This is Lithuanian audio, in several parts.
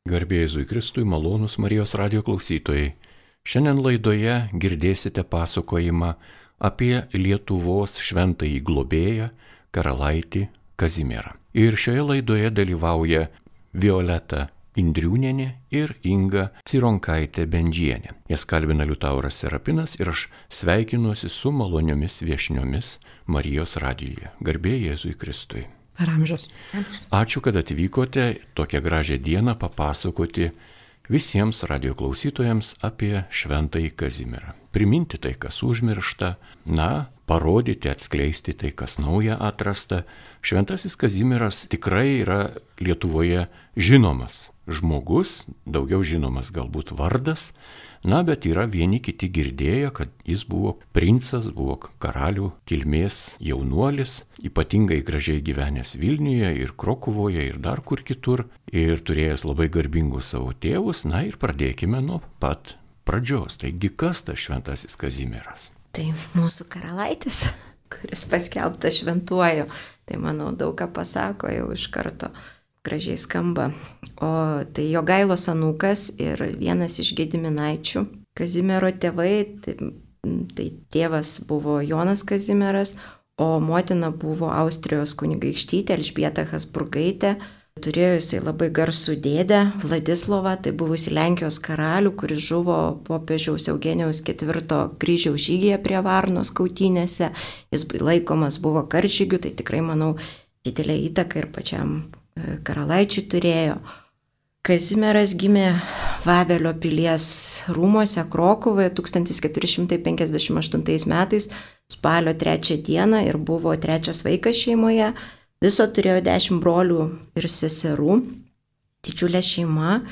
Garbė Jėzui Kristui, malonūs Marijos radijo klausytojai. Šiandien laidoje girdėsite pasakojimą apie Lietuvos šventąjį globėją karalaitį Kazimierą. Ir šioje laidoje dalyvauja Violeta Indriūnienė ir Inga Cironkaitė Bendžienė. Jas kalbina Liutauras Serapinas ir aš sveikinuosi su maloniomis viešniomis Marijos radijoje. Garbė Jėzui Kristui. Per amžius. Ačiū, kad atvykote tokią gražią dieną papasakoti visiems radio klausytojams apie šventąjį Kazimierą. Priminti tai, kas užmiršta, parodyti, atskleisti tai, kas nauja atrasta. Šventasis Kazimieras tikrai yra Lietuvoje žinomas žmogus, daugiau žinomas galbūt vardas, bet yra vieni kiti girdėję, kad jis buvo princas, buvo karalių kilmės jaunuolis, ypatingai gražiai gyvenęs Vilniuje ir Krokuvoje ir dar kur kitur, ir turėjęs labai garbingus savo tėvus. Ir pradėkime nuo pat pradžios. Taigi, kas tas šventasis Kazimieras? Tai mūsų karalaitis, kuris paskelbtas šventuoju, tai manau daug ką pasako jau iš karto. Gražiai skamba. O tai Jogailos anūkas ir vienas iš Gediminaičių. Kazimiero tėvai, tai tėvas buvo Jonas Kazimieras, o motina buvo Austrijos kunigaikštytė Elžbieta Habsburgaitė. Turėjo jisai labai garsų dėdę Vladislovą, tai buvusi Lenkijos karalių, kuris žuvo popiežiaus Eugenijaus IV kryžiaus žygyje prie Varnos kautynėse. Jis laikomas buvo karžygiu, tai tikrai, manau, didelę įtaką ir pačiam karalaičiui turėjo. Kazimieras gimė Vavelio pilies rūmuose Krokuvoje 1458 metais spalio 3 dieną ir buvo trečias vaikas šeimoje. Viso turėjo 10 brolių ir seserų. Didžiulė šeima.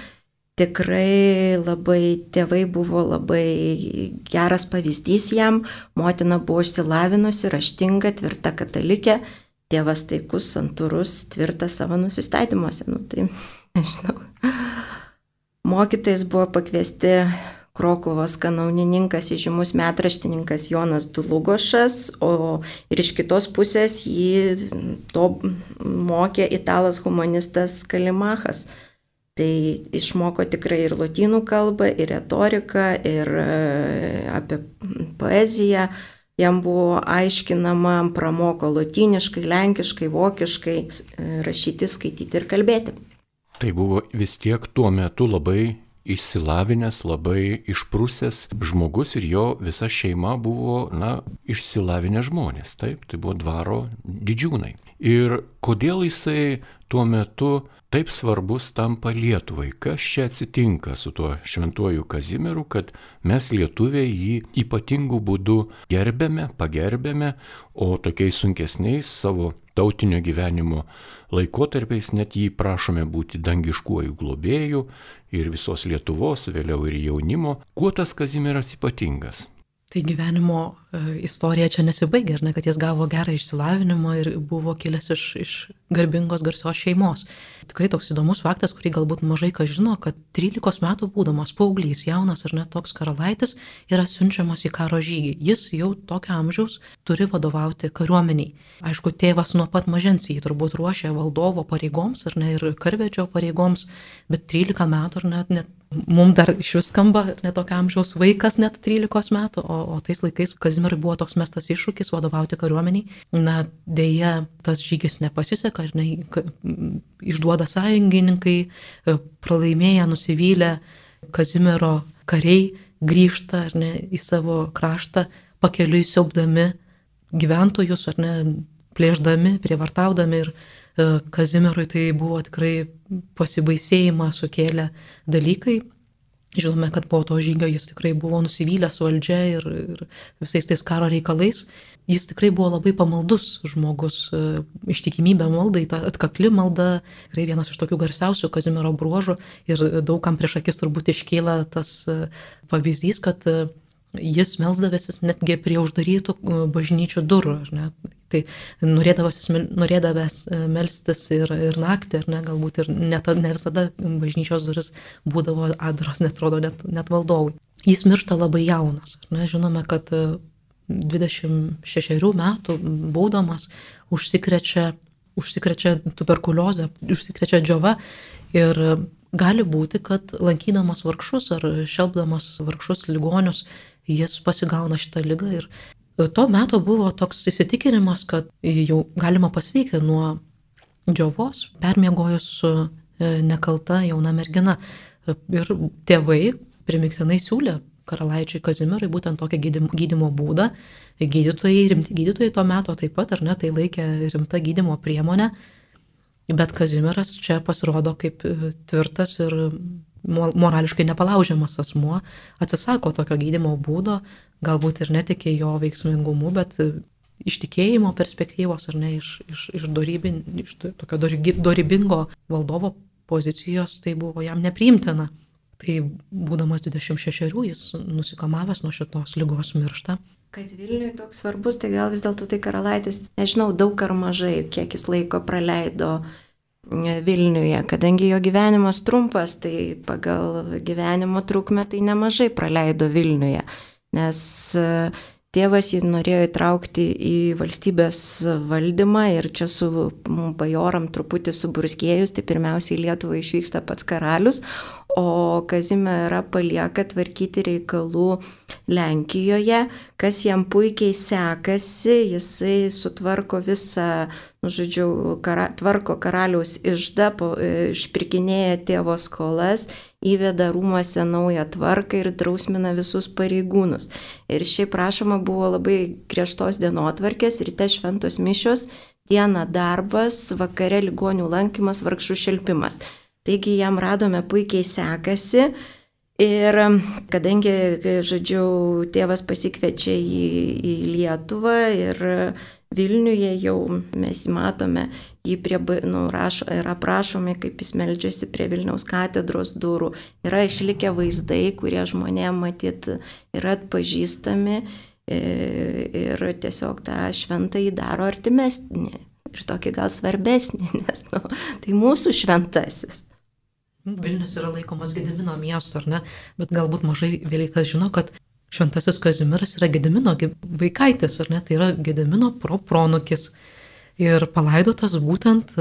Tikrai tėvai buvo labai geras pavyzdys jam. Motina buvo išsilavinusi, raštinga, tvirta katalikė. Tėvas taikus, santūrus, tvirtas savo nusistatymuose. Tai nežinau. Mokytojais buvo pakviesti Krokuvos kanaunininkas, įžymus metraštininkas Jonas Dlugošas, o ir iš kitos pusės jį to mokė italas humanistas Kalimachas. Tai išmoko tikrai ir lotynų kalbą, ir retoriką, ir apie poeziją. Jam buvo aiškinama, pramoko lotyniškai, lenkiškai, vokiškai rašyti, skaityti ir kalbėti. Tai buvo vis tiek tuo metu labai išsilavinęs, labai išprusęs žmogus ir jo visa šeima buvo, išsilavinę žmonės. Taip, tai buvo dvaro didžiūnai. Ir kodėl jisai tuo metu taip svarbus tampa Lietuvai? Kas čia atsitinka su tuo šventuoju Kazimieru, kad mes lietuviai jį ypatingų būdų pagerbėme, o tokiais sunkesniais savo tautinio gyvenimo laikotarpiais net jį prašome būti dangiškuoju globėju ir visos Lietuvos, vėliau ir jaunimo. Kuo tas Kazimieras ypatingas? Tai gyvenimo istorija čia nesibaigia, kad jis gavo gerą išsilavinimą ir buvo kilęs iš garbingos garsios šeimos. Tikrai toks įdomus faktas, kurį galbūt mažai kas žino, kad 13 metų būdamas paauglys, jaunas ar net toks karalaitis, yra siunčiamas į karo žygį. Jis jau tokio amžiaus turi vadovauti kariuomeniai. Aišku, tėvas nuo pat mažens jį turbūt ruošė valdovo pareigoms ir karvedžio pareigoms, bet 13 metų net mums dar iš vis skamba netokio amžiaus vaikas net 13 metų, o tais laikais Kazimierui buvo toks mestas iššūkis vadovauti kariuomeniai. Deja, tas žygis nepasiseka, išduoda sąjungininkai, pralaimėję, nusivylę Kazimiero kariai grįžta į savo kraštą, pakeliui siaubdami gyventojus, plėšdami, prievartaudami ir Kazimierui tai buvo tikrai pasibaisėjimą sukėlę dalykai. Žinome, kad po to žygio jis tikrai buvo nusivylęs valdžia ir visais tais karo reikalais. Jis tikrai buvo labai pamaldus žmogus, ištikimybė maldai, ta atkakli malda, tikrai vienas iš tokių garsiausių Kazimiero bruožų ir daugam prieš akis turbūt iškyla tas pavyzdys, kad jis melsdavęsis netgi prie uždarytų bažnyčių durų. Tai norėdavęs melstis ir naktį, galbūt ir ne visada bažnyčios duris būdavo atviros, netrodo net valdovui. Jis miršta labai jaunas. Žinome, kad 26 metų būdamas užsikrečia tuberkuliozę, užsikrečia džiova ir gali būti, kad lankydamas vargšus ar šelbdamas vargšus ligonius, jis pasigauna šitą ligą. Ir tuo metu buvo toks įsitikinimas, kad jau galima pasveikti nuo džiovos, permiegojus su nekalta jauna mergina. Ir tėvai primiktinai siūlė karalaičiui Kazimierui būtent tokią gydymo būdą. Rimti gydytojai tuo metu taip pat, ar ne, tai laikė rimta gydymo priemonė. Bet Kazimieras čia pasirodo kaip tvirtas ir morališkai nepalaužiamas asmuo, atsisako tokio gydymo būdo, galbūt ir netikė jo veiksmingumu, bet iš tikėjimo perspektyvos, ar ne, iš tokio dorybingo valdovo pozicijos, tai buvo jam nepriimtina. Tai būdamas 26, jis nusikamavęs nuo šitos ligos miršta. Kad Vilniui toks svarbus, tai gal vis dėlto tai karalaitis, nežinau, daug ar mažai, kiek jis laiko praleido Vilniuje, kadangi jo gyvenimas trumpas, tai pagal gyvenimo trukmę tai nemažai praleido Vilniuje, nes tėvas jį norėjo įtraukti į valstybės valdymą ir čia su bajoram truputį suburzgėjus, tai pirmiausiai į Lietuvą išvyksta pats karalius, o Kazimierą palieka tvarkyti reikalų Lenkijoje, kas jam puikiai sekasi, jisai sutvarko visą, tvarko karaliaus iždą, išpirkinėja tėvo skolas, įveda rūmuose naują tvarką ir drausmina visus pareigūnus. Ir šiaip prašoma buvo labai griežtos dienotvarkės, ryte šventos mišios, dieną darbas, vakare ligonių lankymas, vargšų šelpimas. Taigi jam radome puikiai sekasi ir kadangi, tėvas pasikviečia į Lietuvą ir Vilniuje jau mes matome, jį yra aprašomi, kaip jis meldžiasi prie Vilniaus katedros durų. Yra išlikę vaizdai, kurie žmonėm matyt yra atpažįstami ir tiesiog tą šventąjį daro artimesnį ir tokį gal svarbesnį, nes tai mūsų šventasis. Vilnius yra laikomas Gedimino miestu, ar ne? Bet galbūt mažai vėlikas žino, kad šventasis Kazimieras yra Gedimino vaikaitis, ar ne? Tai yra Gedimino pronukis. Ir palaidotas būtent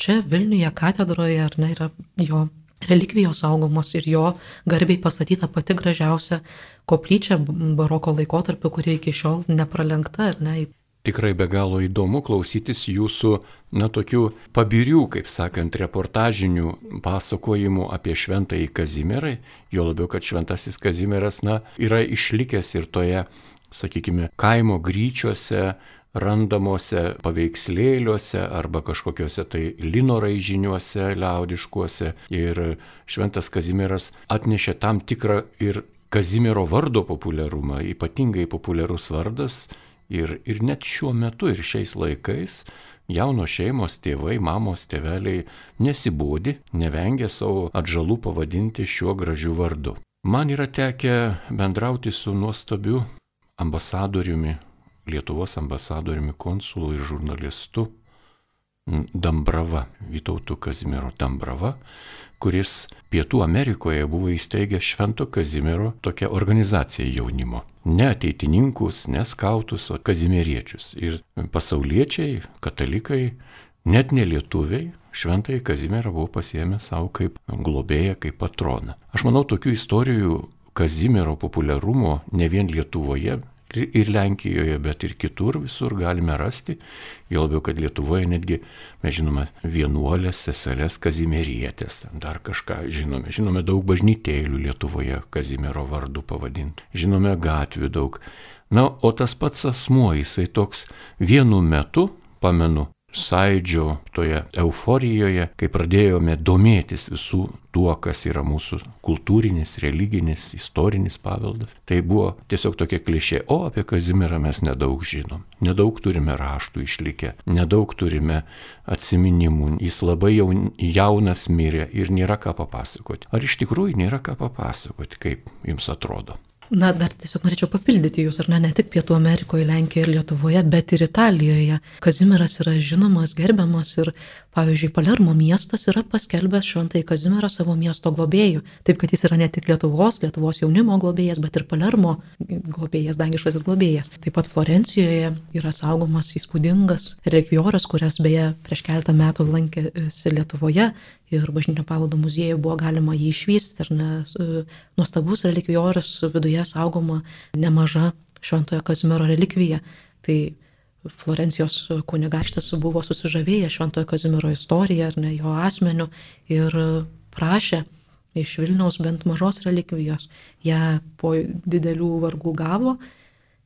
čia Vilniuje katedroje, ar ne, yra jo relikvijos saugomos ir jo garbiai pastatyta pati gražiausia koplyčia baroko laikotarpiu, kuri iki šiol nepralenkta, ar ne? Tikrai be galo įdomu klausytis jūsų, tokių pabirių, kaip sakant, reportažinių pasakojimų apie šventąjį Kazimierą, jo labiau, kad šventasis Kazimieras, yra išlikęs ir toje, sakykime, kaimo gryčiuose, randamuose paveikslėliuose arba kažkokiuose tai lino raižiniuose liaudiškuose. Ir šventas Kazimieras atnešė tam tikrą ir Kazimiero vardo populiarumą, ypatingai populiarus vardas. Ir net šiuo metu ir šiais laikais jaunos šeimos, tėvai, mamos, tėveliai nesibodi, nevengia savo atžalų pavadinti šiuo gražiu vardu. Man yra tekę bendrauti su nuostabiu ambasadoriumi, Lietuvos ambasadoriumi, konsulu ir žurnalistu Dambrava, Vytautu Kazimiero Dambrava, kuris Pietų Amerikoje buvo įsteigęs Švento Kazimiero tokią organizaciją jaunimo. Ne ateitininkus, ne skautus, o kazimieriečius. Ir pasauliečiai, katalikai, net ne lietuviai, Šventąjį Kazimierą buvo pasiėmę savo kaip globėją, kaip patroną. Aš manau, tokių istorijų Kazimiero populiarumo ne vien Lietuvoje ir Lenkijoje, bet ir kitur visur galime rasti. Jo labiau, kad Lietuvoje netgi, mes žinome, vienuolės, seselės kazimierietės, dar kažką žinome. Žinome daug bažnytėlių Lietuvoje Kazimiero vardu pavadintų. Žinome gatvių daug. O tas pats asmuo, jisai toks vienu metu, pamenu, Sąjūdžio toje euforijoje, kai pradėjome domėtis visų tuo, kas yra mūsų kultūrinis, religinis, istorinis paveldas. Tai buvo tiesiog tokia klišė, o apie Kazimierą mes nedaug žinom. Nedaug turime raštų išlikę, nedaug turime atsiminimų. Jis labai jaunas mirė ir nėra ką papasakoti. Ar iš tikrųjų nėra ką papasakoti, kaip jums atrodo? Dar tiesiog norėčiau papildyti jūs, ar ne tik Pietų Amerikoje, Lenkijoje ir Lietuvoje, bet ir Italijoje. Kazimieras yra žinomas, gerbiamas ir, pavyzdžiui, Palermo miestas yra paskelbęs šventąjį Kazimierą savo miesto globėjų. Taip, kad jis yra ne tik Lietuvos jaunimo globėjas, bet ir Palermo globėjas, dangiškasis globėjas. Taip pat Florencijoje yra saugomas įspūdingas relikvioras, kurias beje prieš keletą metų lankėsi Lietuvoje ir Bažnytinio paveldo muziejuje buvo galima jį išvysti, ar ne, nuostabus relikvijorius, viduje saugoma nemaža Šventojo Kazimiero relikvija. Tai Florencijos kunigaikštis buvo susižavėjęs Šventojo Kazimiero istorija, ar ne, jo asmeniu, ir prašė iš Vilniaus bent mažos relikvijos. Ją po didelių vargų gavo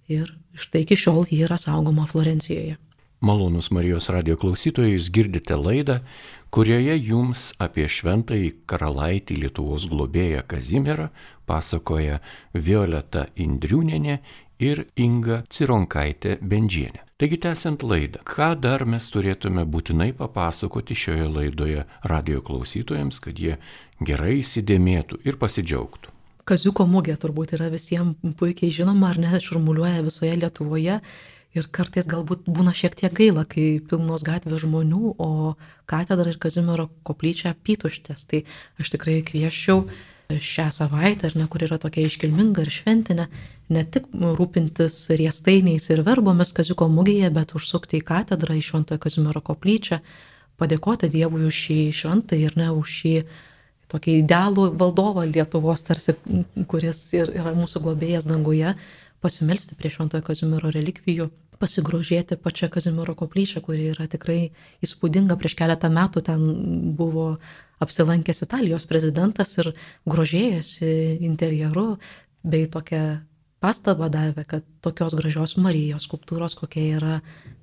ir štai iki šiol ji yra saugoma Florencijoje. Malonūs Marijos radijo klausytojai, jūs girdite laidą, kurioje jums apie šventąjį karalaitį Lietuvos globėją Kazimierą pasakoja Violeta Indriūnienė ir Inga Cironkaitė Bendžienė. Taigi tęsiant laidą, ką dar mes turėtume būtinai papasakoti šioje laidoje radijo klausytojams, kad jie gerai įsidėmėtų ir pasidžiaugtų? Kaziuko mugė turbūt yra visiems puikiai žinoma, ar ne, šurmuliuoja visoje Lietuvoje. Ir kartais galbūt būna šiek tiek gaila, kai pilnos gatvės žmonių, o katedra ir Kazimiero koplyčia apytuštės. Tai aš tikrai kvieščiau šią savaitę, ar ne, kur yra tokia iškilminga ir šventinė, ne tik rūpintis riestainiais ir verbomis Kaziuko mugėje, bet užsukti į katedrą, į Šventojo Kazimiero koplyčią, padėkoti Dievui už šį šventąjį ir ne už šį tokį idealų valdovą Lietuvos, tarsi, kuris yra mūsų globėjas danguje, pasimelsti prie Šventojo Kazimiero relikvijų, pasigrožėti pačią Kazimiero koplyčią, kuri yra tikrai įspūdinga. Prieš keletą metų ten buvo apsilankęs Italijos prezidentas ir grožėjosi interjeru, bei tokią pastabą davė, kad tokios gražios Marijos skulptūros, kokia yra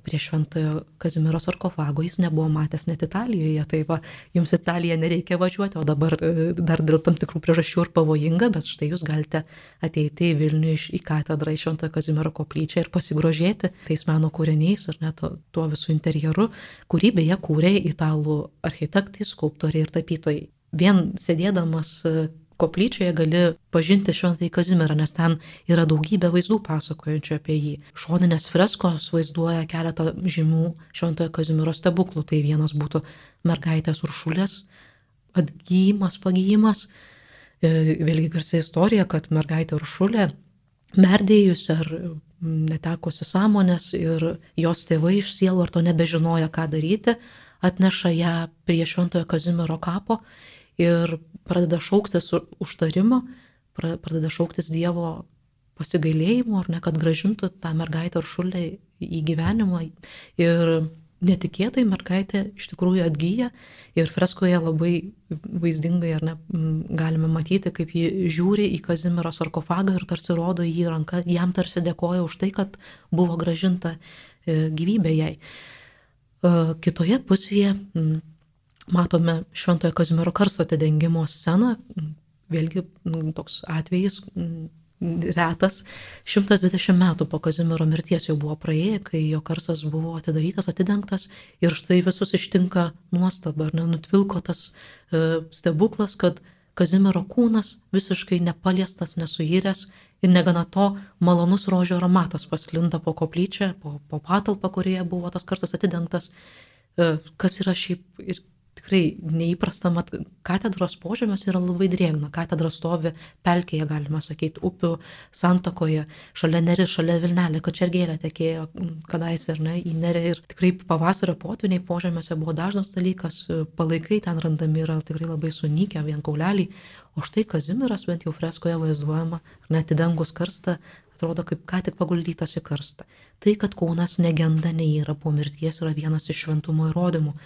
prie Šventojo Kazimiero sarkofago, jis nebuvo matęs net Italijoje. Tai va, jums Italiją nereikia važiuoti, o dabar dar dėl tam tikrų priežasčių ir pavojinga, bet štai jūs galite ateiti į Vilnių į katedrą, į Šventojo Kazimiero koplyčią ir pasigrožėti tais meno kūriniais, ar net tuo visų interjeru, kurį beje kūrė italų architektai, skulptoriai ir tapytojai. Vien sėdėdamas koplyčioje gali pažinti Šventąjį Kazimierą, nes ten yra daugybė vaizdų pasakojančių apie jį. Šoninės freskos vaizduoja keletą žymių Šventojo Kazimiero stebuklų. Tai vienas būtų mergaitės Uršulės atgijimas, pagijimas. Vėlgi garsi istorija, kad mergaitė Uršulė merdėjusi ar netekusi sąmonės ir jos tėvai iš sielvarto nebežinoja, ką daryti, atneša ją prie Šventojo Kazimiero kapo ir pradeda šauktis užtarimo, pradeda šauktis Dievo pasigailėjimo, ar ne, kad gražintų tą mergaitę Uršulę į gyvenimą. Ir netikėtai mergaitė iš tikrųjų atgyja ir freskoje labai vaizdingai, ar ne, galime matyti, kaip ji žiūri į Kazimiero sarkofagą ir tarsi rodo jį ranką, jam tarsi dėkoja už tai, kad buvo gražinta gyvybė jai. Kitoje pusėje matome Šventojo Kazimiero karsto atidengimo sceną, vėlgi toks atvejis retas. 120 metų po Kazimiero mirties jau buvo praėję, kai jo karstas buvo atidarytas, atidengtas ir štai visus ištinka nuostaba, ar nenutvilko tas stebuklas, kad Kazimiero kūnas visiškai nepaliestas, nesuiręs ir negana to malonus rožių aromatas pasklinda po koplyčią, po patalpą, kurioje buvo tas karstas atidengtas, kas yra šiaip ir tikrai neįprasta, mat katedros požemiuose yra labai drėgna. Katedra stovi pelkėje, galima sakyti, upių santakoje, šalia Neris, šalia Vilnelė, Kačergėlė tekėjo kadaise, ar ne, į Nerį. Ir tikrai pavasario potvyniai požemiuose buvo dažnas dalykas, palaikai ten randami yra tikrai labai sunykę, vien kauleliai. O štai Kazimieras bent jau freskoje vaizduojama, ar net įdengus karstą, atrodo kaip ką tik paguldytas į karstą. Tai, kad kūnas negenda, neįra po mirties, yra vienas iš šventumo įrodymų.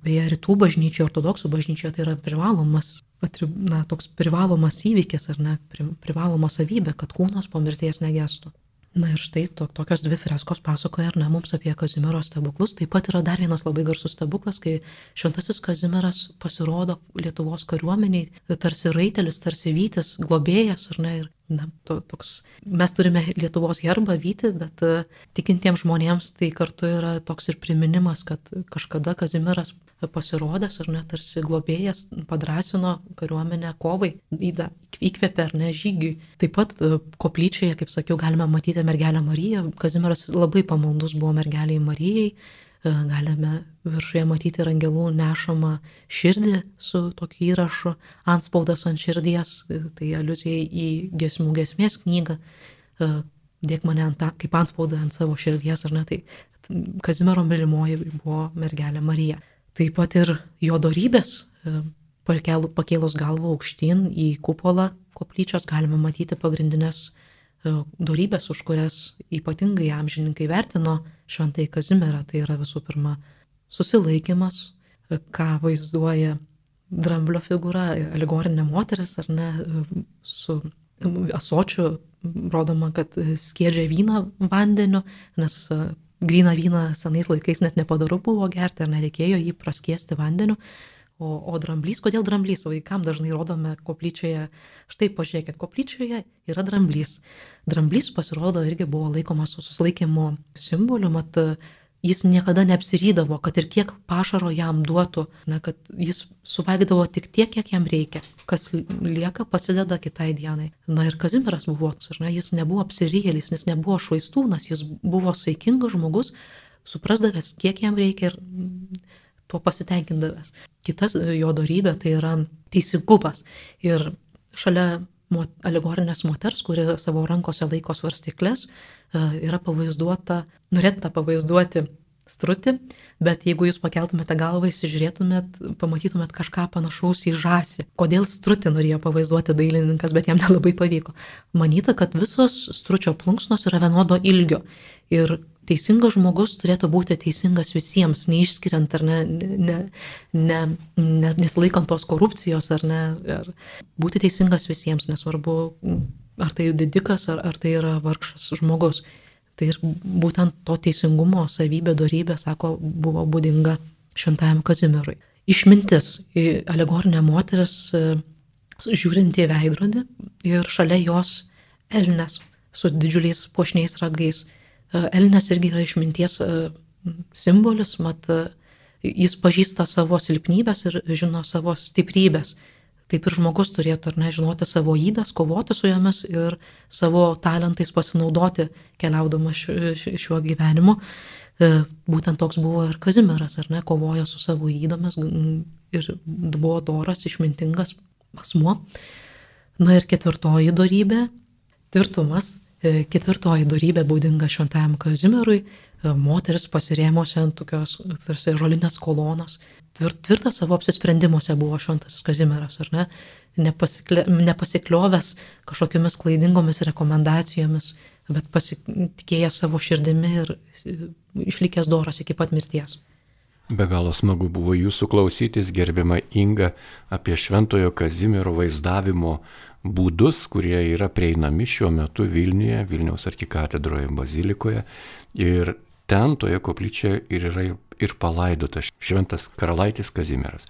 Beje, rytų bažnyčioje, ortodoksų bažnyčioje tai yra toks privalomas įvykis, ar ne, privaloma savybė, kad kūnas po mirties negestų. Na ir štai tokios dvi freskos pasakoja, ar ne, mums apie Kazimiero stebuklus. Taip pat yra dar vienas labai garsus stebuklas, kai šventasis Kazimieras pasirodo Lietuvos kariuomeniai, tarsi raitelis, tarsi vytis, globėjas, ar ne, ir toks, mes turime Lietuvos herbą vytį, bet tikintiems žmonėms tai kartu yra toks ir priminimas, kad kažkada Kazimieras pasirodęs, ar ne, tarsi globėjas padrąsino kariuomenę kovai, įkvėpė, ar ne, žygiui. Taip pat koplyčioje, kaip sakiau, galime matyti mergelę Mariją. Kazimieras labai pamaldus buvo mergeliai Marijai. Galime viršuje matyti ir angelų nešamą širdį su tokiu įrašu, antspaudas ant širdies, tai aliuzija į giesmių giesmės knygą, dėk mane kaip antspaudą ant savo širdies, ar ne, tai Kazimiero mylimoji buvo mergelė Marija. Taip pat ir jo dorybės, pakėlus galvą aukštyn į kupolą koplyčios galima matyti pagrindinės dorybės, už kurias ypatingai amžininkai vertino šventąjį Kazimierą. Tai yra visų pirma susilaikymas, ką vaizduoja dramblio figūra, alegorinė moteris, ar ne, su ąsočiu rodoma, kad skiedžia vyną vandeniu, nes gryną vyną senais laikais net nepadoru buvo gerti, ar nereikėjo jį praskiesti vandeniu. O dramblys, kodėl dramblys? Vaikam dažnai rodome koplyčioje, štai pažiūrėkit, koplyčioje yra dramblys. Dramblys pasirodo irgi buvo laikomas susilaikymo simboliu, mat jis niekada neapsirydavo, kad ir kiek pašaro jam duotų, kad jis suvalgydavo tik tiek, kiek jam reikia. Kas lieka, pasideda kitai dienai. Ir Kazimieras buvo, jis nebuvo apsirėlis, jis nebuvo švaistūnas, jis buvo saikingas žmogus, suprasdavęs, kiek jam reikia ir tuo pasitenkindavęs. Kitas jo dorybė tai yra teisingumas. Ir šalia alegorinės moters, kuri savo rankose laiko svarstyklės, yra pavaizduota, norėtų pavaizduoti strutį, bet jeigu jūs pakeltumėte galvą, įsižiūrėtumėt, pamatytumėt kažką panašaus į žąsį. Kodėl strutį norėjo pavaizduoti dailininkas, bet jam nelabai pavyko. Manyta, kad visos stručio plunksnos yra vienodo ilgio ir teisingas žmogus turėtų būti teisingas visiems, neišskiriant ar nesilaikant tos korupcijos, ar būti teisingas visiems, nesvarbu, ar tai didikas, ar tai yra vargšas žmogus. Tai ir būtent to teisingumo savybė, dorybė, sako, buvo būdinga šventajam Kazimierui. Išmintis, alegorinė moteris žiūrinti į veidrodį ir šalia jos elnias su didžiuliais puošniais ragais. Elnias irgi yra išminties simbolis, mat jis pažįsta savo silpnybės ir žino savo stiprybės. Taip ir žmogus turėtų žinoti savo ydas, kovoti su jomis ir savo talentais pasinaudoti keliaudamas šiuo gyvenimu. Būtent toks buvo ir Kazimieras, kovojo su savo ydomis ir buvo doras, išmintingas asmuo. Ir ketvirtoji dorybė, tvirtumas. Ketvirtoji dorybė būdinga šventajam Kazimierui, moteris pasirėmusi ant tokios tarsi žolinės kolonos. Tvirtas savo apsisprendimuose buvo šventasis Kazimieras, nepasikliovęs kažkokiamis klaidingomis rekomendacijomis, bet pasitikėjęs savo širdimi ir išlikęs doras iki pat mirties. Be galo smagu buvo jūsų klausytis, gerbiama Inga, apie šventojo Kazimiero vaizdavimo būdus, kurie yra prieinami šiuo metu Vilniuje, Vilniaus arkikatedroje bazilikoje. Ir ten toje koplyčioje yra ir palaidotas šventas karalaitis Kazimieras.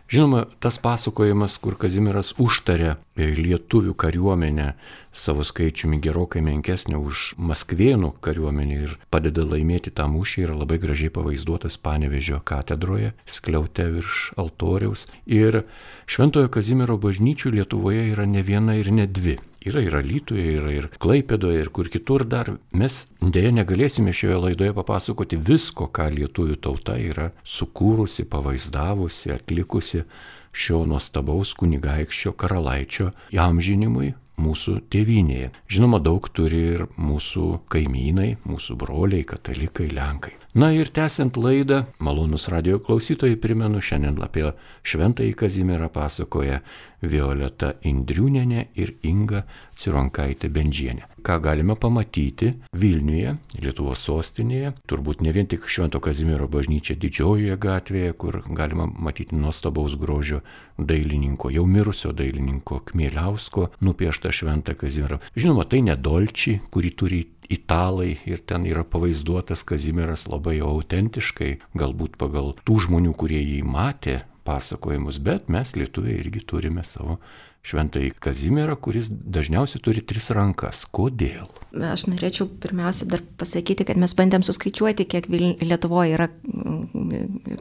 Žinoma, tas pasakojimas, kur Kazimieras užtarė lietuvių kariuomenę savo skaičiumi gerokai menkesnė už maskvėnų kariuomenę ir padeda laimėti tą mūšį, yra labai gražiai pavaizduotas Panevėžio katedroje, skliaute virš altoriaus. Ir šventojo Kazimiero bažnyčių Lietuvoje yra ne viena ir ne dvi. Yra ir Alytuje, yra ir Klaipėdoje, ir kur kitur dar. Mes dėja negalėsime šioje laidoje papasakoti visko, ką lietuvių tauta yra sukūrusi, pavaizdavusi, atlikusi šio nuostabaus kunigaikščio karalaičio įamžinimui mūsų tėvynėje. Žinoma, daug turi ir mūsų kaimynai, mūsų broliai, katalikai, lenkai. Na ir tęsiant laidą, malonus radijo klausytojai, primenu, šiandien apie šventąjį Kazimierą pasakoja Violeta Indriūnienė ir Inga Cironkaitė Bendžienė. Ką galime pamatyti Vilniuje, Lietuvos sostinėje, turbūt ne vien tik Švento Kazimiero bažnyčia Didžiojoje gatvėje, kur galima matyti nuostabaus grožio dailininko, jau mirusio dailininko Kmieliausko nupieštą Šventą Kazimierą. Žinoma, tai ne Dolči, kurį turi italai ir ten yra pavaizduotas Kazimieras labai autentiškai, galbūt pagal tų žmonių, kurie jį matė pasakojimus, bet mes lietuviai irgi turime savo šventąjį Kazimierą, kuris dažniausiai turi 3 rankas. Kodėl? Aš norėčiau pirmiausia dar pasakyti, kad mes bandėm suskaičiuoti, kiek Lietuvoje yra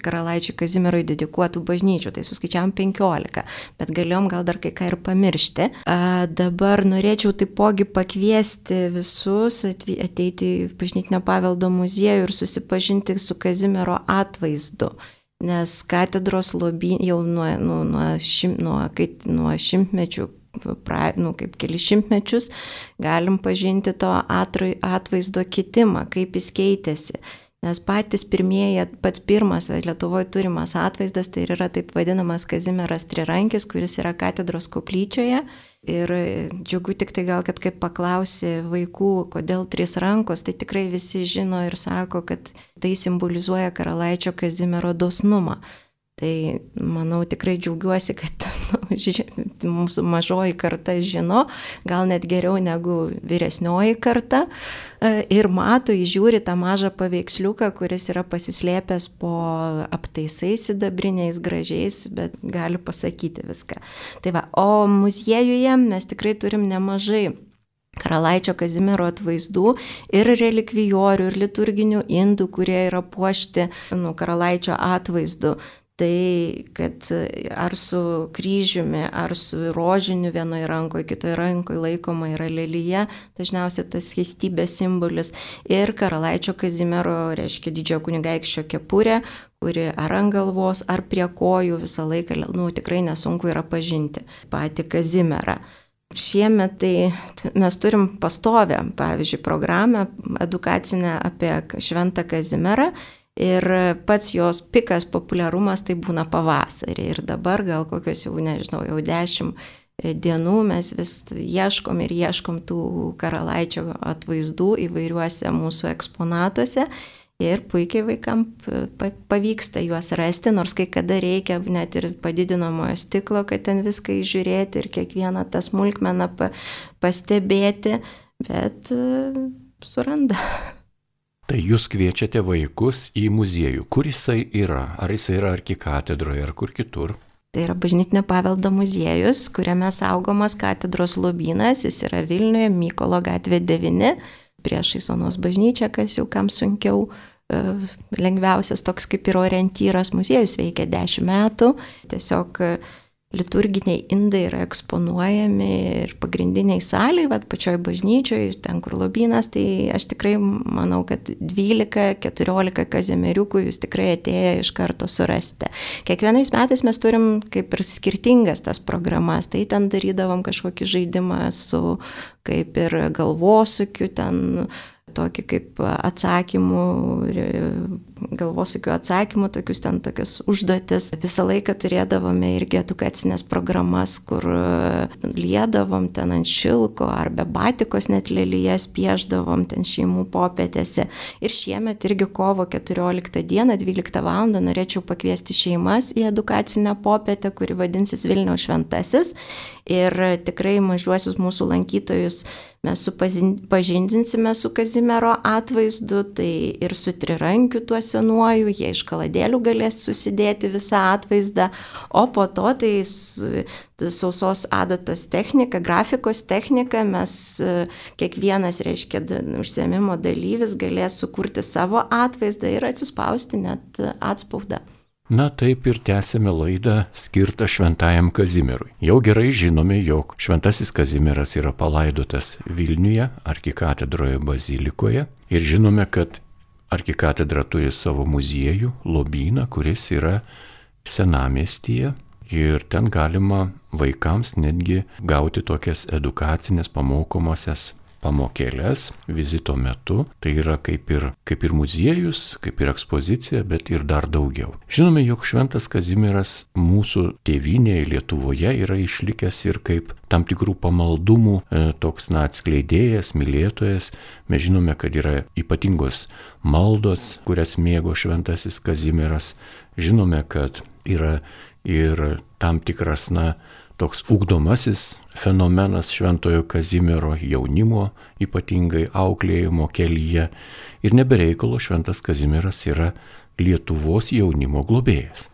karalaičiui Kazimierui dedikuotų bažnyčių. Tai suskaičiavom 15, bet galėjom gal dar kai ką ir pamiršti. Dabar norėčiau taipogi pakviesti visus ateiti į Bažnytinio paveldo muziejų ir susipažinti su Kazimiero atvaizdu. Nes katedros lobyn jau nuo šimtmečių, kaip kelis šimtmečius, galim pažinti to atvaizdo kitimą, kaip jis keitėsi. nes patys pirmieji, pats pirmas Lietuvoje turimas atvaizdas, tai yra taip vadinamas Kazimieras Trirankis, kuris yra katedros koplyčioje. Ir džiugu tik tai gal, kad kaip paklausi vaikų, kodėl 3 rankos, tai tikrai visi žino ir sako, kad tai simbolizuoja karalaičio Kazimiero dosnumą. Tai manau tikrai džiaugiuosi, kad mūsų mažoji karta žino, gal net geriau negu vyresnioji karta ir mato, įžiūri tą mažą paveiksliuką, kuris yra pasislėpęs po aptaisais sidabriniais gražiais, bet gali pasakyti viską. Tai va, o muziejuje mes tikrai turim nemažai karalaičio Kazimiero atvaizdų ir relikvijorių, ir liturginių indų, kurie yra puošti karalaičio atvaizdu. Tai, kad ar su kryžiumi, ar su rožiniu vienoje rankoje, kitoje rankoje laikoma yra lelija, dažniausiai tas skaistybės simbolis. Ir karalaičio Kazimiero, reiškia didžiojo kunigaikščio kepurė, kuri ar ant galvos, ar prie kojų visą laiką, tikrai nesunku yra pažinti patį Kazimierą. Šiemet tai mes turim pastovę, pavyzdžiui, programą edukacinę apie Šventą Kazimierą. Ir pats jos pikas populiarumas tai būna pavasarį. Ir dabar gal kokios jau 10 dienų mes vis ieškom tų karalaičio atvaizdų įvairiuose mūsų eksponatuose. Ir puikiai vaikam pavyksta juos rasti, nors kai kada reikia net ir padidinamojo stiklo, kad ten viską įžiūrėti ir kiekvieną tą smulkmeną pastebėti, bet suranda. Tai jūs kviečiate vaikus į muziejų. Kur jisai yra? Ar jisai yra arkikatedroje, ar kur kitur? Tai yra Bažnytinio paveldo muziejus, kuriame saugomas katedros lobynas. Jis yra Vilniuje, Mykolo gatvė 9, priešais Onos bažnyčią, kas jau kam sunkiau. Lengviausias toks kaip ir orientyras. Muziejus veikia 10 metų. Tiesiog liturginiai indai yra eksponuojami ir pagrindiniai saliai, pačioj bažnyčioj, ten kur lobynas, tai aš tikrai manau, kad 12-14 kazimieriukų jūs tikrai atėję iš karto surasite. Kiekvienais metais mes turim kaip ir skirtingas tas programas, tai ten darydavom kažkokį žaidimą su kaip ir galvosukiu, ten tokį kaip galvosukių atsakymų, tokius užduotis. Visą laiką turėdavome irgi edukacinės programas, kur liedavom ten ant šilko ar be batikos net lelijas pieždavom ten šeimų popietėse. Ir šiemet irgi kovo 14 dieną, 12 val. Norėčiau pakviesti šeimas į edukacinę popietę, kuri vadinsis Vilniaus šventasis. Ir tikrai mažuosius mūsų lankytojus mes pažindinsime su Kazimiero atvaizdu, tai ir su trirankiu tuo senuoju, jie iš kaladėlių galės susidėti visą atvaizdą, o po to tai sausos adatos technika, grafikos technika, mes kiekvienas, reiškia, užsiėmimo dalyvis galės sukurti savo atvaizdą ir atsispausti net atspaudą. Na taip ir tęsėme laidą skirtą Šventajam Kazimierui. Jau gerai žinome, jog Šventasis Kazimieras yra palaidotas Vilniuje, arkikatedroje bazilikoje. Ir žinome, kad arkikatedra turi savo muziejų, lobyną, kuris yra senamiestyje. Ir ten galima vaikams netgi gauti tokias edukacinės pamokomosias pamokėlės vizito metu. Tai yra kaip ir muziejus, kaip ir ekspozicija, bet ir dar daugiau. Žinome, jog Šventas Kazimieras mūsų tėvynėje Lietuvoje yra išlikęs ir kaip tam tikrų pamaldumų toks atskleidėjas, mylėtojas. Mes žinome, kad yra ypatingos maldos, kurias mėgo Šventasis Kazimieras. Žinome, kad yra ir tam tikras, toks ugdomasis fenomenas Šventojo Kazimiero jaunimo, ypatingai auklėjimo kelyje. Ir nebereikalo Šventas Kazimieras yra Lietuvos jaunimo globėjas.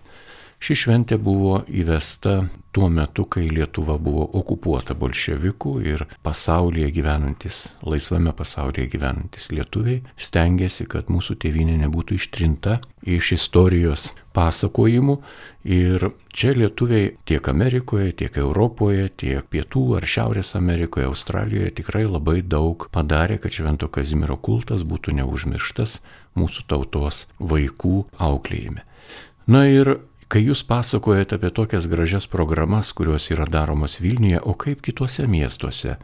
Ši šventė buvo įvesta tuo metu, kai Lietuva buvo okupuota bolševikų ir laisvame pasaulyje gyvenantis lietuviai stengiasi, kad mūsų tėvynė nebūtų ištrinta iš istorijos pasakojimų. Ir čia lietuviai tiek Amerikoje, tiek Europoje, tiek Pietų ar Šiaurės Amerikoje, Australijoje tikrai labai daug padarė, kad Švento Kazimiero kultas būtų neužmirštas mūsų tautos vaikų auklėjime. Na ir Kai jūs pasakojate apie tokias gražias programas, kurios yra daromos Vilniuje, o kaip kituose miestuose?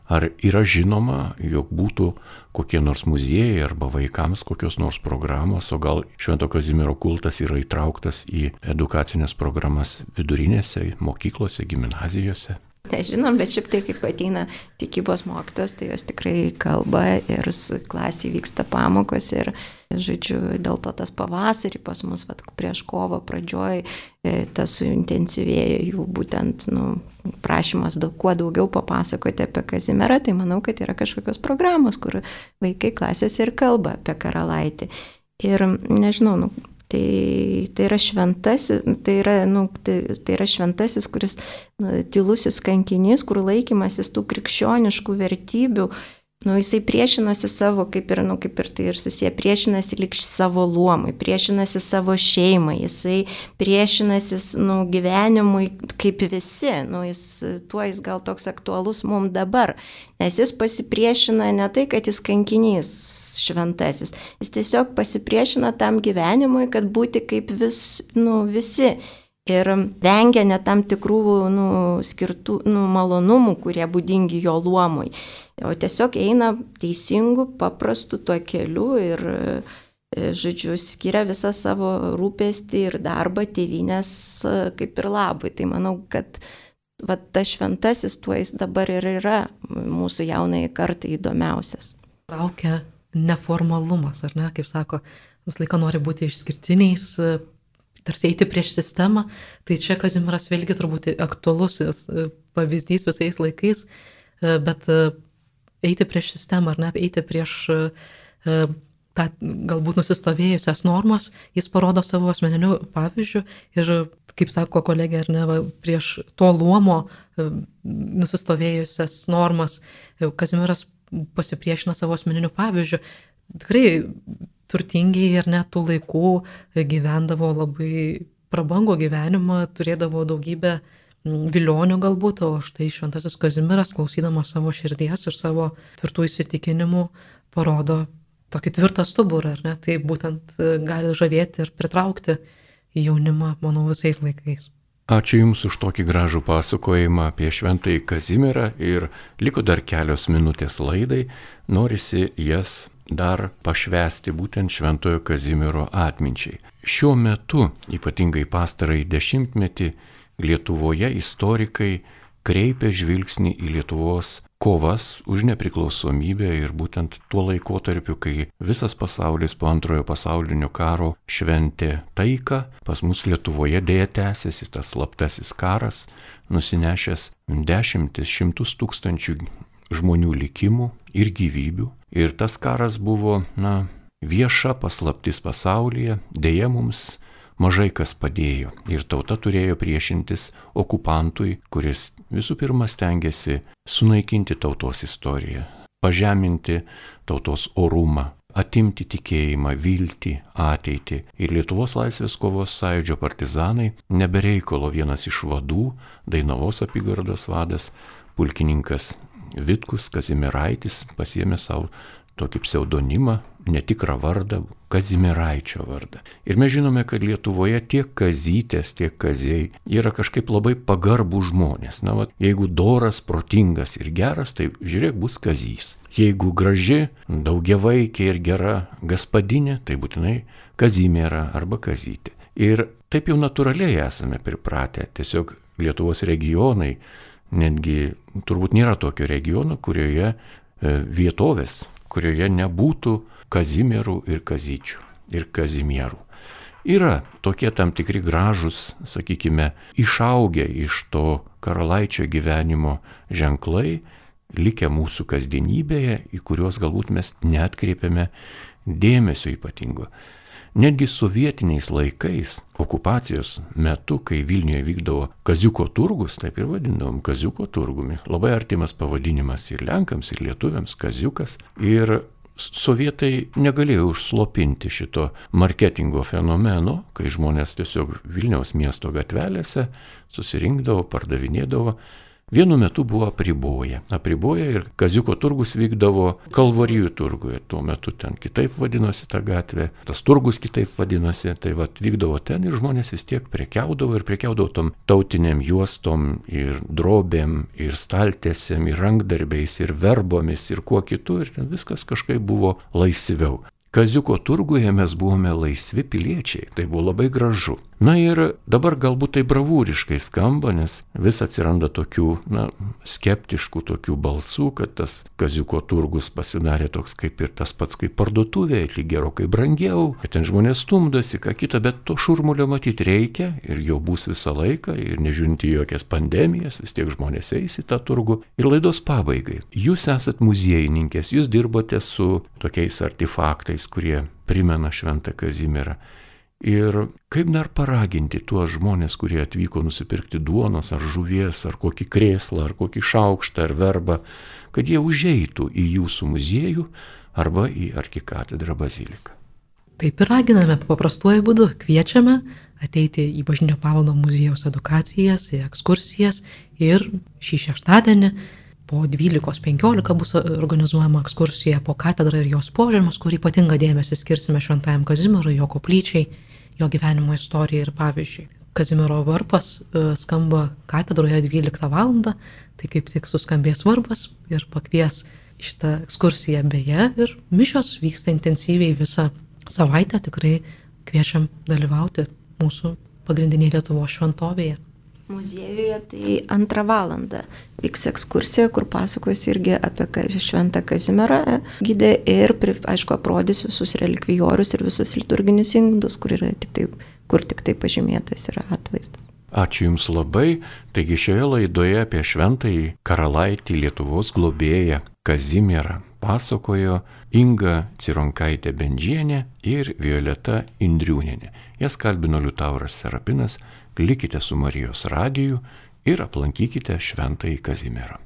Ar yra žinoma, jog būtų kokie nors muziejai arba vaikams kokios nors programos, o gal Švento Kazimiero kultas yra įtrauktas į edukacinės programas vidurinėse, mokyklose, gimnazijose? Nežinom, bet šiaip tai, kaip ateina tikybos mokytos, tai jos tikrai kalba ir klasėje vyksta pamokos ir, žodžiu, dėl to tas pavasarį pas mus, prieš kovo pradžioj, tas suintensyvėjo jų būtent, prašymas kuo daugiau papasakoti apie Kazimierą, tai manau, kad yra kažkokios programos, kur vaikai klasėse ir kalba apie karalaitį. Ir nežinau, Tai yra šventasis, tai yra šventasis, kuris tylusis kankinys, kur laikymasis tų krikščioniškų vertybių, jisai priešinasi savo, kaip ir tai ir susiję, priešinasi lyg savo luomui, priešinasi savo šeimai, jisai priešinasi gyvenimui kaip visi, jis gal toks aktualus mums dabar, nes jis pasipriešina ne tai, kad jis kankinys šventasis, jis tiesiog pasipriešina tam gyvenimui, kad būti kaip visi. Ir vengia net tam tikrų skirtų malonumų, kurie būdingi jo luomui. O tiesiog eina teisingų, paprastų tuo keliu ir, žodžiu, skiria visą savo rūpestį ir darbą tėvynės kaip ir labui. Tai manau, kad tas šventasis tuo jis dabar ir yra mūsų jaunai kartai įdomiausias. Traukia neformalumas, ar ne, kaip sako, visą laiką nori būti išskirtiniais, tarsi eiti prieš sistemą, tai čia Kazimieras vėlgi turbūt aktualus pavyzdys visais laikais, bet eiti prieš sistemą, ar ne, eiti prieš tą galbūt nusistovėjusias normas, jis parodo savo asmeniniu pavyzdžiu ir, kaip sako kolegė, ar ne, prieš to luomo nusistovėjusias normas Kazimieras pasipriešina savo asmeniniu pavyzdžiu. Tikrai turtingiai ir net tų laikų gyvendavo labai prabangų gyvenimą, turėdavo daugybę vilionių galbūt, o štai šventasis Kazimieras, klausydamas savo širdies ir savo tvirtų įsitikinimų, parodo tokį tvirtą stuburą, ar ne? Tai būtent gali žavėti ir pritraukti jaunimą, manau, visais laikais. Ačiū Jums už tokį gražų pasakojimą apie šventąjį Kazimierą ir liko dar kelios minutės laidai, norisi jas dar pašvęsti būtent šventojo Kazimiero atminčiai. Šiuo metu, ypatingai pastarąjį dešimtmetį, Lietuvoje istorikai kreipia žvilgsnį į Lietuvos kovas už nepriklausomybę ir būtent tuo laikotarpiu, kai visas pasaulis po Antrojo pasaulinio karo šventė taiką, pas mus Lietuvoje dėja tęsiasi tas slaptasis karas, nusinešęs šimtus tūkstančių žmonių likimų ir gyvybių. Ir tas karas buvo, vieša paslaptis pasaulyje, dėja mums mažai kas padėjo. Ir tauta turėjo priešintis okupantui, kuris visų pirma stengiasi sunaikinti tautos istoriją, pažeminti tautos orumą, atimti tikėjimą, viltį, ateitį. Ir Lietuvos laisvės kovos sąjūdžio partizanai nebereikalo vienas iš vadų, Dainavos apygardos vadas, pulkininkas Vitkus Kazimieraitis pasiėmė savo tokį pseudonimą, netikrą vardą, Kazimieraičio vardą. Ir mes žinome, kad Lietuvoje tiek kazytės, tiek kaziai yra kažkaip labai pagarbų žmonės. Jeigu doras, protingas ir geras, tai žiūrėk, bus kazys. Jeigu graži, daugiavaikė ir gera gaspadinė, tai būtinai Kazimiera arba kazytė. Ir taip jau natūraliai esame pripratę. Tiesiog Lietuvos regionai, netgi turbūt nėra tokio regiono, kurioje vietovės, kurioje nebūtų Kazimierų ir kazyčių ir Kazimierų. Yra tokie tam tikri gražus, sakykime, išaugę iš to karalaičio gyvenimo ženklai, likę mūsų kasdienybėje, į kuriuos galbūt mes neatkreipiame dėmesio ypatingo. Netgi sovietiniais laikais, okupacijos metu, kai Vilniuje vykdavo Kaziuko turgus, taip ir vadindavom Kaziuko turgumi, labai artimas pavadinimas ir lenkams, ir lietuviams, Kaziukas. Ir sovietai negalėjo užslopinti šito marketingo fenomeno, kai žmonės tiesiog Vilniaus miesto gatvelėse susirinkdavo, pardavinėdavo vienu metu buvo apriboję ir Kaziuko turgus vykdavo Kalvarijų turguje. Tuo metu ten kitaip vadinosi ta gatvė, tas turgus kitaip vadinosi, tai vykdavo ten ir žmonės vis tiek prekiaudavo tom tautiniam juostom ir drobėm, ir staltiesėm, ir rankdarbiais, ir verbomis, ir kuo kitu, ir ten viskas kažkaip buvo laisviau. Kaziuko turguje mes buvome laisvi piliečiai, tai buvo labai gražu. Na ir dabar galbūt tai bravūriškai skamba, nes vis atsiranda tokių, skeptiškų tokių balsų, kad tas Kaziuko turgus pasidarė toks kaip ir tas pats kaip parduotuvė, lyg gerokai brangiau, kad ten žmonės stumdosi, ką kita, bet to šurmulio matyti reikia ir jo bus visą laiką ir nežiūrint į jokias pandemijas, vis tiek žmonės eis į tą turgų. Ir laidos pabaigai. Jūs esat muziejininkės, jūs dirbote su tokiais artefaktais, kurie primena Šventą Kazimierą. Ir kaip dar paraginti tuos žmonės, kurie atvyko nusipirkti duonos ar žuvies, ar kokį krėslą, ar kokį šaukštą, ar verbą, kad jie užeitų į jūsų muziejų arba į arkikatedrą baziliką. Taip ir raginame paprastuoju būdu, kviečiame ateiti į Bažnytinio paveldo muziejaus edukacijas, į ekskursijas ir šį šeštadienį po 12:15 bus organizuojama ekskursija po katedrą ir jos požemius, kur ypatingą dėmesį skirsime Šventajam Kazimierui, jo koplyčiai, jo gyvenimo istorijai ir pavyzdžiui. Kazimiero varpas skamba katedroje 12 valandą, tai kaip tik suskambės varpas ir pakvies šitą ekskursiją beje ir mišios vyksta intensyviai visą savaitę, tikrai kviečiam dalyvauti mūsų pagrindinėje Lietuvos šventovėje. Muziejuje tai 2 valandą vyks ekskursija, kur pasakos irgi apie Šventą Kazimierą gidė ir, aišku, aprodys visus relikvijorius ir visus liturginius indus, kur tik tai pažymėtas yra atvaizdas. Ačiū Jums labai. Taigi šioje laidoje apie Šventąjį karalaitį Lietuvos globėją Kazimierą pasakojo Inga Cironkaitė Bendžienė ir Violeta Indriūnienė. Jas kalbino Liutauras Serapinas. Likite su Marijos radiju ir aplankykite Šventąjį Kazimierą.